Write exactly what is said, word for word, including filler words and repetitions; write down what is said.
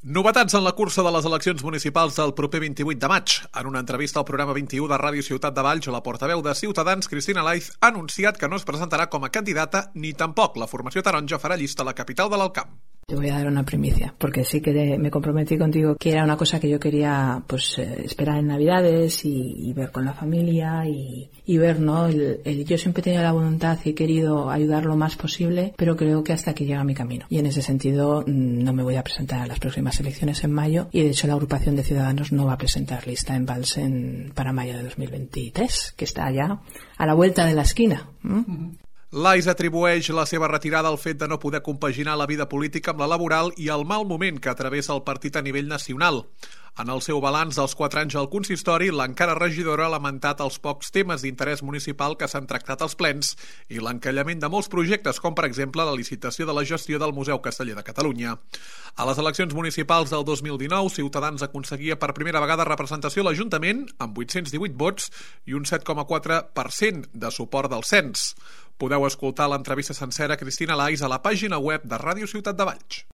Novetats en la cursa de les eleccions municipals del proper vint-i-vuit de maig. En una entrevista al programa vint-i-u de Ràdio Ciutat de Valls, la portaveu de Ciutadans, Cristina Laiz, ha anunciat que no es presentarà com a candidata ni tampoc la formació taronja farà llista a la capital de l'Alt Camp. Te voy a dar una primicia, porque sí que me comprometí contigo que era una cosa que yo quería pues eh, esperar en Navidades y, y ver con la familia y, y ver, ¿no? El, el, yo siempre he tenido la voluntad y he querido ayudar lo más posible, pero creo que hasta aquí llega mi camino. Y en ese sentido no me voy a presentar a las próximas elecciones en mayo y de hecho la agrupación de Ciudadanos no va a presentar lista en Valls en, para mayo de dos mil veintitrés, que está ya a la vuelta de la esquina. ¿Mm? Uh-huh. Laiz atribueix la seva retirada al fet de no poder compaginar la vida política amb la laboral i el mal moment que travessa el partit a nivell nacional. En el seu balanç dels quatre anys al consistori, l'encara regidora ha lamentat els pocs temes d'interès municipal que s'han tractat als plens i l'encallament de molts projectes, com per exemple la licitació de la gestió del Museu Casteller de Catalunya. A les eleccions municipals del dos mil dinou, Ciutadans aconseguia per primera vegada representació a l'Ajuntament amb vuit-cents divuit vots i un set coma quatre per cent de suport del cens. Podeu escoltar l'entrevista sencera a Cristina Laiz a la pàgina web de Ràdio Ciutat de Valls.